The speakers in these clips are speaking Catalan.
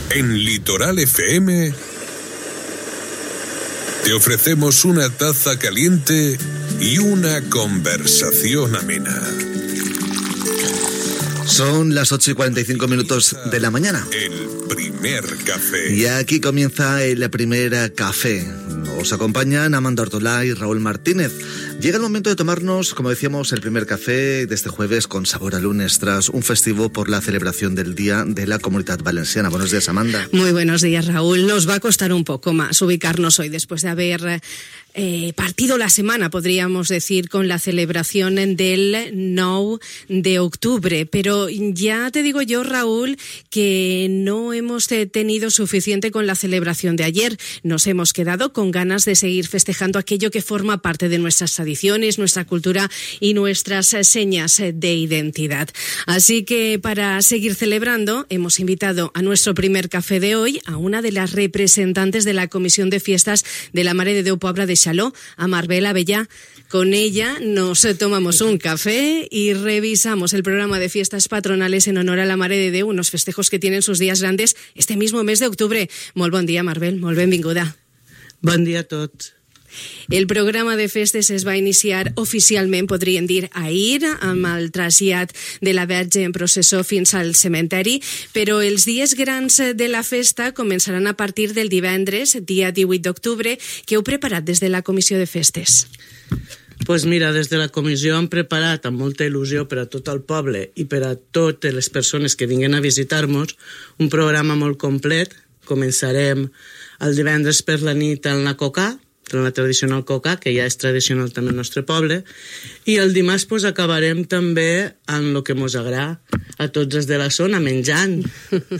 En Litoral FM te ofrecemos una taza caliente y una conversación amena. Son las 8:45 de la mañana. El primer café. Y aquí comienza el primer café. Os acompañan Amanda Ortolá y Raúl Martínez. Llega el momento de tomarnos, como decíamos, el primer café de este jueves con sabor a lunes, tras un festivo por la celebración del Día de la Comunitat Valenciana. Buenos días, Amanda. Muy buenos días, Raúl. Nos va a costar un poco más ubicarnos hoy, después de haber partido la semana, podríamos decir, con la celebración del 9 de octubre. Pero ya te digo yo, Raúl, que no hemos tenido suficiente con la celebración de ayer. Nos hemos quedado con ganas de seguir festejando aquello que forma parte de nuestras tradiciones, nuestra cultura y nuestras señas de identidad. Así que para seguir celebrando, hemos invitado a nuestro primer café de hoy a una de las representantes de la Comisión de Fiestas de la Mare de Déu Pobra de Xaló, a Marbel Avellà. Con ella nos tomamos un café y revisamos el programa de fiestas patronales en honor a la Mare de Déu, unos festejos que tienen sus días grandes este mismo mes de octubre. Molt bon dia, Marbel, molt benvinguda. Bon dia a tots. El programa de festes es va iniciar oficialment, podríem dir, ahir, amb el trasllat de la Verge en processó fins al cementeri, però els dies grans de la festa començaran a partir del divendres, dia 18 d'octubre, que heu preparat des de la Comissió de Festes. Pues mira, des de la comissió hem preparat amb molta il·lusió per a tot el poble i per a totes les persones que vinguen a visitar-nos un programa molt complet. Començarem el divendres per la nit en la Cocà, en la tradicional Cocà, que ja és tradicional també al nostre poble, i el dimarts pues, acabarem també amb el que mos agrada a tots els de la zona, menjant.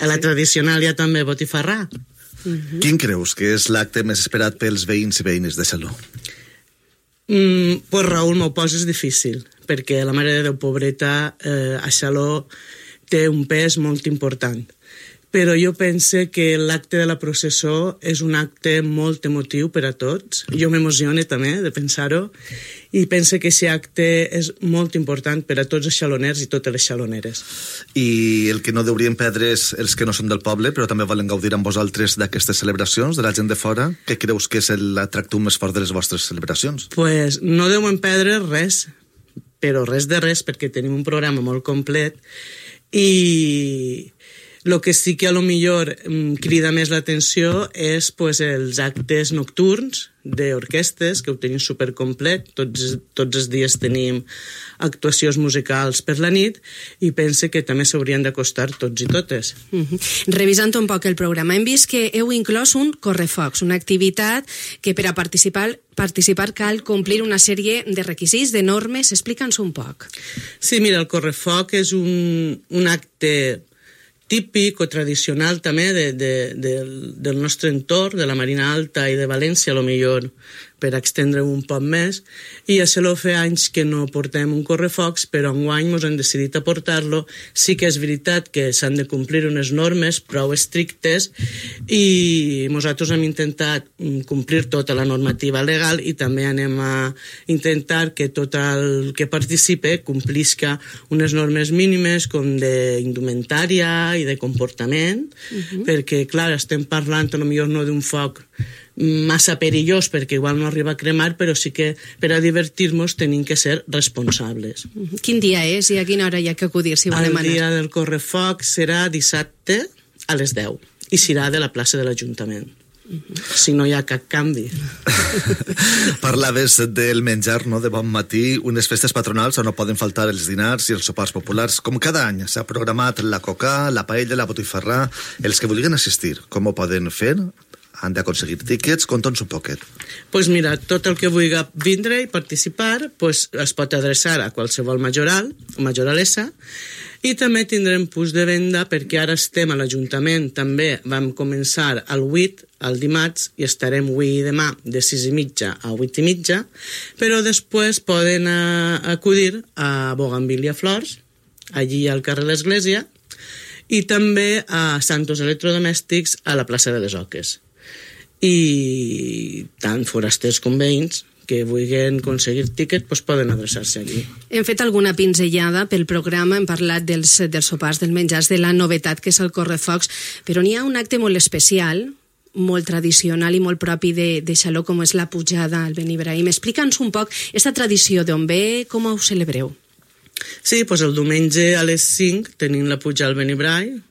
A la tradicional hi ha també botifarrà. Quin creus que és l'acte més esperat pels veïns i veïnes de Xaló? Pues Raúl, m'ho poses difícil, perquè la Mare de Déu Pobreta a Xaló té un pes molt important. Però jo pense que l'acte de la processó és un acte molt emotiu per a tots. Jo m'emocione també de pensar-ho i pense que aquest acte és molt important per a tots els xaloners i totes les xaloneres. I el que no deurien perdre és els que no són del poble, però també volen gaudir amb vosaltres d'aquestes celebracions, de la gent de fora. Què creus que és l'atractiu més fort de les vostres celebracions? Pues no deuen perdre res, però res de res, perquè tenim un programa molt complet i el que sí que a lo millor crida més l'atenció és pues, els actes nocturns d'orquestes, que ho tenim supercomplet. Tots els dies tenim actuacions musicals per la nit i pense que també s'haurien d'acostar tots i totes. Revisant un poc el programa, hem vist que heu inclòs un correfocs, una activitat que per a participar cal complir una sèrie de requisits, de normes. Explica'ns un poc. Sí, mira, el correfoc és un acte típic o tradicional també del nostre entorn, de la Marina Alta i de València, a lo millor per extendre un poc més, i a Xaló fa anys que no portem un correfocs, però enguany ens hem decidit a portar-lo. Sí que és veritat que s'han de complir unes normes prou estrictes i nosaltres hem intentat complir tota la normativa legal i també anem a intentar que tot el que participe complisca unes normes mínimes com d'indumentària i de comportament, perquè, clar, estem parlant potser no d'un foc massa perillós perquè igual no arriba a cremar, però sí que per a divertir-nos tenim que ser responsables. Quin dia és i a quina hora hi ha que acudir si volem anar? El dia del correfoc serà dissabte a les 10 i serà de la plaça de l'Ajuntament. Si no hi ha cap canvi. Parlaves del menjar, no?, de bon matí, unes festes patronals on no poden faltar els dinars i els sopars populars. Com cada any s'ha programat la coca, la paella, la botifarrà. Els que vulguin assistir, com ho poden fer? Han d'aconseguir tíquets? Conta'ns un poquet. Pues mira, tot el que vulgui vindre i participar pues es pot adreçar a qualsevol majoral o majoralessa. I també tindrem punts de venda perquè ara estem a l'Ajuntament, també vam començar el 8, el dimarts, i estarem avui i demà de 6:30 a 8:30, però després poden acudir a Bougainvillea Flors, allí al carrer de l'Església, i també a Santos Electrodomèstics a la plaça de les Oques. I tant forasters com veïns que vulguin aconseguir tiquet doncs poden adreçar-se allí. Hem fet alguna pinzellada pel programa, hem parlat dels sopars, dels menjars, de la novetat que és el correfocs, però n'hi ha un acte molt especial, molt tradicional i molt propi de Xaló, com és la pujada al Benibraim. Explica'ns un poc aquesta tradició, d'on ve, com ho celebreu? Sí, doncs el diumenge a les 5 tenim la pujada al Benibraim.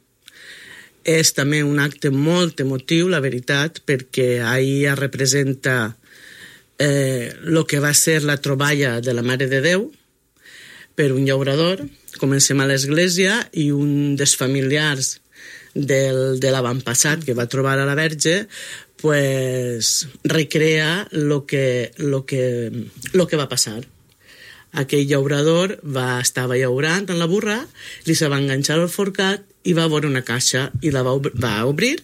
És també un acte molt emotiu, la veritat, perquè ahir es representa el que va ser la troballa de la Mare de Déu per un llaurador. Comencem a l'església i un dels familiars de l'avantpassat que va trobar a la Verge pues, recrea el que va passar. Aquell llaurador estava llaurant en la burra, li se va enganxar al forcat i va veure una caixa i la va obrir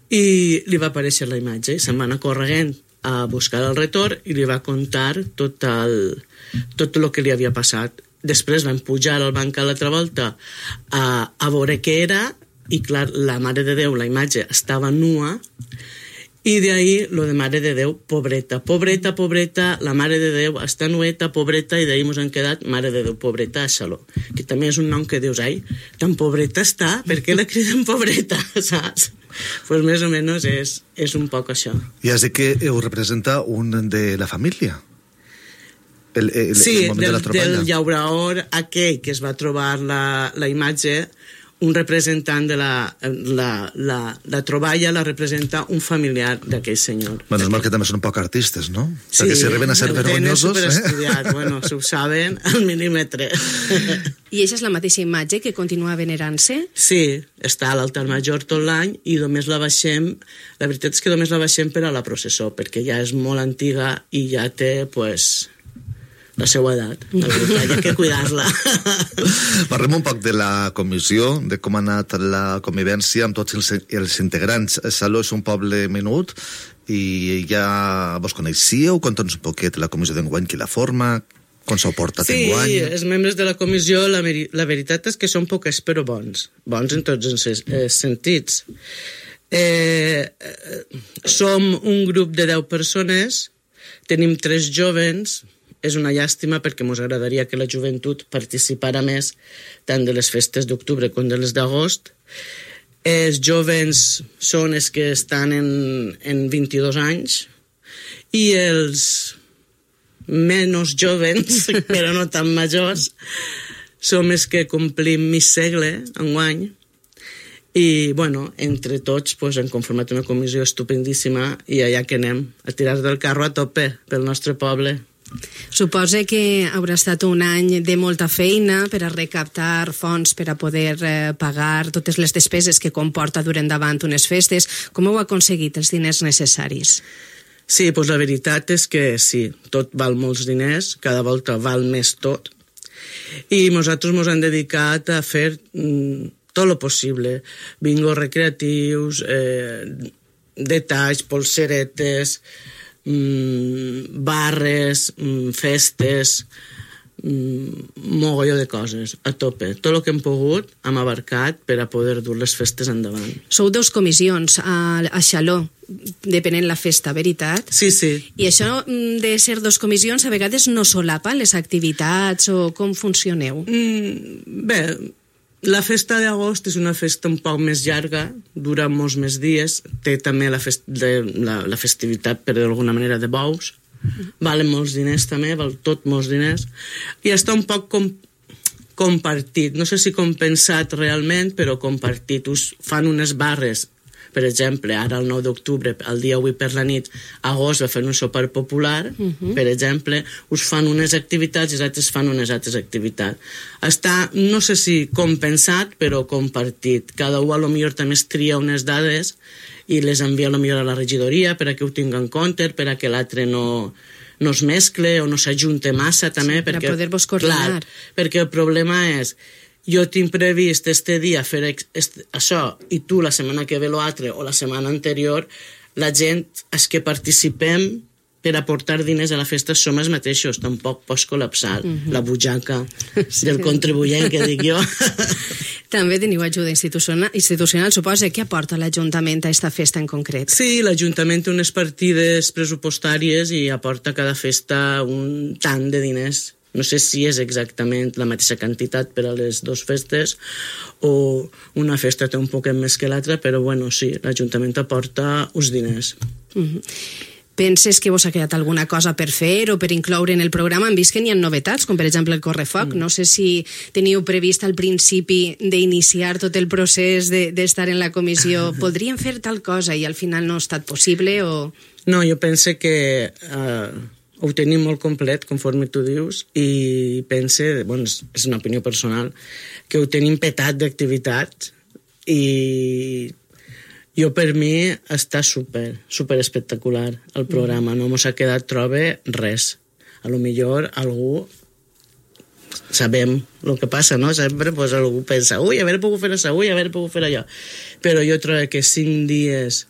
i li va aparèixer la imatge. Se'n va anar corregent a buscar el retorn i li va contar tot el que li havia passat. Després van pujar al banc a l'altra volta a veure què era i clar, la Mare de Déu, la imatge estava nua i d'ahir lo de Mare de Déu, pobreta, pobreta, pobreta, la Mare de Déu està nueta, pobreta, i d'ahir ens han quedat Mare de Déu, pobreta, a Xaló, que també és un nom que dius, ai, tan pobreta està, per què la criden pobreta, saps? Pues més o menys és un poc això. I has dit que ho representa un de la família? Sí, del llaurador aquell que es va trobar la imatge, un representant de la troballa la representa un familiar d'aquell senyor. Menos mal que també són un poc artistes, no? Sí, perquè si arriben a ser vergonyosos... tenen superestudiat, bueno, s'ho saben al milímetre. I aquesta és la mateixa imatge que continua venerant-se? Sí, està a l'altar major tot l'any i només la baixem, la veritat és que només la baixem per a la processó, perquè ja és molt antiga i ja té, pues, la seva edat, la veritat, hi ha que cuidar-la. Parlem un poc de la comissió, de com ha anat la convivència amb tots els integrants. Xaló és un poble menut i ja vos coneixíeu? Conta'ns un poquet la comissió d'enguany, qui la forma, com s'ho porta enguany? Sí, els membres de la comissió, la veritat és que són poques però bons en tots els sentits. Som un grup de 10 persones, tenim 3 jovens. És una llàstima perquè ens agradaria que la joventut participara més tant de les festes d'octubre com de les d'agost. Els jovens són els que estan en 22 anys i els menys jovens, però no tan majors, som els que complim mig segle enguany. I, bueno, entre tots pues, hem conformat una comissió estupendíssima i allà que anem, a tirar del carro a tope pel nostre poble. Suposa que haurà estat un any de molta feina per a recaptar fons per a poder pagar totes les despeses que comporta durant davant unes festes. Com heu aconseguit els diners necessaris? Sí, doncs la veritat és que sí, tot val molts diners, cada volta val més tot, i nosaltres ens hem dedicat a fer tot el possible, bingos recreatius, detalls, polseretes, barres, festes, mogolló de coses, a tope. Tot el que hem pogut hem abarcat per a poder dur les festes endavant. Sou 2 comissions a Xaló, depenent la festa, veritat? Sí, sí. I això de ser 2 comissions a vegades no solapa les activitats o com funcioneu? Bé, la festa d'agost és una festa un poc més llarga, dura molts més dies, té també la festivitat, per d'alguna manera, de bous, valen molts diners també, val tot molts diners, i està un poc compartit, no sé si compensat realment, però compartit. Us fan unes barres, per exemple, ara el 9 d'octubre, el dia 8 per la nit, agost va fer un sopar popular, per exemple, us fan unes activitats i els altres fan unes altres activitats. Està, no sé si compensat, però compartit. Cada un a lo millor també es tria unes dades i les envia a lo millor a la regidoria per a que ho tingui en compte, per a que l'altre no es mescle o no s'ajunte massa també. Sí, per a poder-vos coordinar. Clar, perquè el problema és jo tinc previst este dia fer això i tu la setmana que ve l'altre o la setmana anterior, la gent és que participem per aportar diners a la festa som els mateixos, tampoc pots col·lapsar la butxaca del contribuent, que dic jo. També teniu ajuda institucional, suposa. Què aporta l'Ajuntament a aquesta festa en concret? Sí, l'Ajuntament té unes partides pressupostàries i aporta a cada festa un tant de diners. No sé si és exactament la mateixa quantitat per a les dues festes o una festa té un poquet més que l'altra, però bueno, sí, l'Ajuntament aporta uns diners. Penses que vos ha quedat alguna cosa per fer o per incloure en el programa? Hem vist que n'hi ha novetats, com per exemple el correfoc. No sé si teniu previst al principi d'iniciar tot el procés d'estar en la comissió. Podríem fer tal cosa i al final no ha estat possible o... No, jo penso que ho tenim molt complet, conforme tu dius, i pense, bueno, és una opinió personal, que ho tenim petat d'activitats i jo per mi està super espectacular el programa, no mos ha quedat trobe res. A lo millor algú sabem el que passa, no? Sempre pues, algú pensa, ui, haver pogut fer això, ui, haver pogut fer allò. Però jo trobo que 5 dies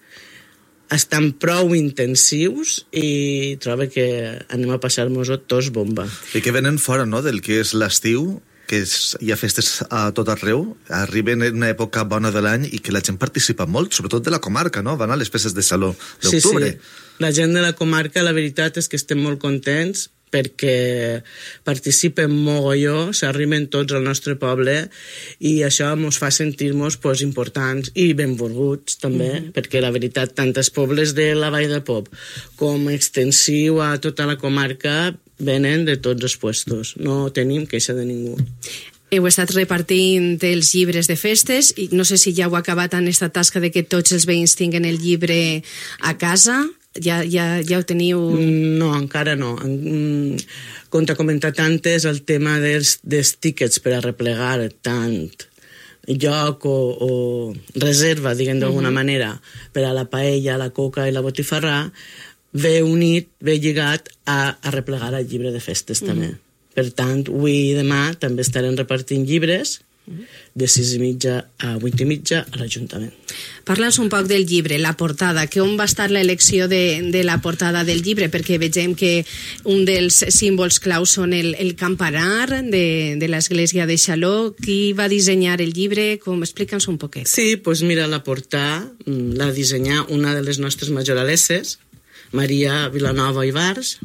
estan prou intensius i trobo que anem a passar-nos-ho tots bomba. I que venen fora, no?, del que és l'estiu, que hi ha festes a tot arreu, arriben en una època bona de l'any i que la gent participa molt, sobretot de la comarca, no? Van a les festes de Saló d'octubre. Sí. La gent de la comarca, la veritat és que estem molt contents perquè participen mogolló, s'arriben tots al nostre poble i això ens fa sentir-nos pues, importants i benvolguts també, perquè la veritat, tant els pobles de la Vall del Pop com extensiu a tota la comarca venen de tots els puestos, no tenim queixa de ningú. Heu estat repartint els llibres de festes i no sé si ja heu acabat en aquesta tasca de que tots els veïns tinguen el llibre a casa. Ja ho teniu... No, encara no. Com t'he comentat antes, el tema dels tíquets per a replegar tant lloc o reserva, diguem d'alguna manera, per a la paella, la coca i la botifarrà, ve unit, ve lligat a replegar el llibre de festes també. Per tant, avui i demà també estarem repartint llibres de 6:30 a 8:30 a l'Ajuntament. Parla'ns un poc del llibre, la portada, que on va estar l'elecció de la portada del llibre, perquè vegem que un dels símbols claus són el campanar de l'església de Xaló. Qui va dissenyar el llibre? Explica'ns un poquet. Sí, doncs mira, la portada la dissenyà una de les nostres majoralesses, Maria Vilanova i Bars,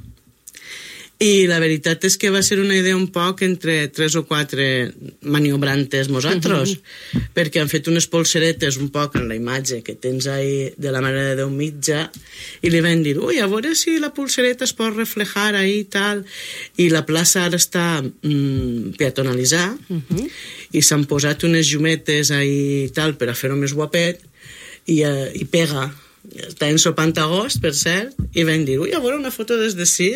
i la veritat és que va ser una idea un poc entre 3 o 4 maniobrantes nosaltres, perquè han fet unes polseretes un poc en la imatge que tens ahí de la Mare de Déu mitja, i li van dir, ui, a veure si la polsereta es pot reflejar ahí i tal, i la plaça ara està peatonalitzada, i s'han posat unes llumetes ahí i tal per a fer-ho més guapet, i pega. Està ensopant agost, per cert, i vam dir, ui, a veure una foto des d'ací.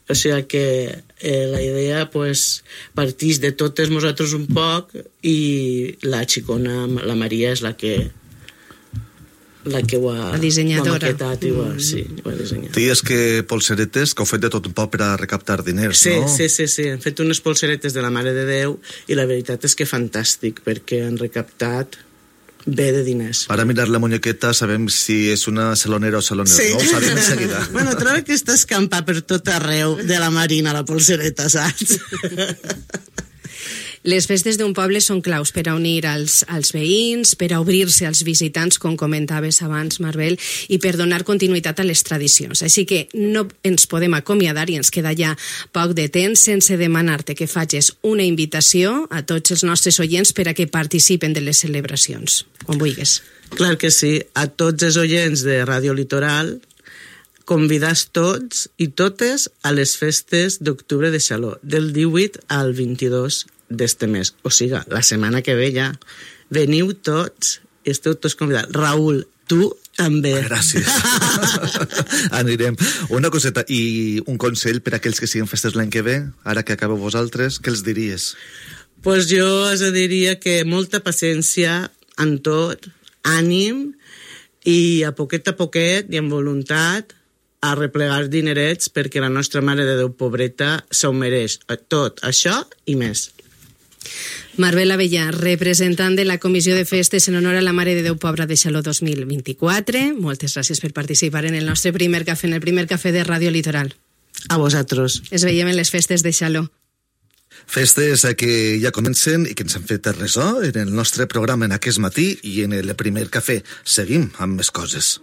O sigui que la idea pues, partix de totes nosaltres un poc i la xicona, la Maria, és la que ho ha maquetat i ho ha dissenyat. Dies que polseretes que heu fet de tot un poc per a recaptar diners, no? Sí. Hem fet unes polseretes de la Mare de Déu i la veritat és que fantàstic, perquè han recaptat bé de diners. Para mirar la muñequeta sabem si és una salonera o salonera, sí. No? Ho sabem de seguida. Bueno, trobo que està escampat per tot arreu de la Marina, la polsereta, saps? Les festes d'un poble són claus per a unir als veïns, per a obrir-se als visitants, com comentaves abans, Marbel, i per donar continuïtat a les tradicions. Així que no ens podem acomiadar i ens queda ja poc de temps sense demanar-te que facis una invitació a tots els nostres oients per a que participen de les celebracions, quan vulguis. Clar que sí. A tots els oients de Ràdio Litoral, convidats tots i totes a les festes d'octubre de Xaló, del 18 al 22 d'este mes. O sigui, la setmana que ve ja. Veniu tots i esteu tots convidats. Raül, tu també. Gràcies. Anirem. Una coseta, i un consell per a aquells que siguin festes l'any que ve, ara que acabeu vosaltres, què els diries? Pues jo els diria que molta paciència en tot, ànim, i a poquet i amb voluntat a replegar dinerets perquè la nostra Mare de Déu pobreta s'ho mereix. Tot això i més. Marbel Avellà, representant de la Comissió de Festes en honor a la Mare de Déu Pobra de Xaló 2024. Moltes gràcies per participar en el nostre primer cafè, en el primer cafè de Ràdio Litoral. A vosaltres. Es veiem en les festes de Xaló. Festes que ja comencen i que ens han fet ressò en el nostre programa en aquest matí i en el primer cafè. Seguim amb més coses.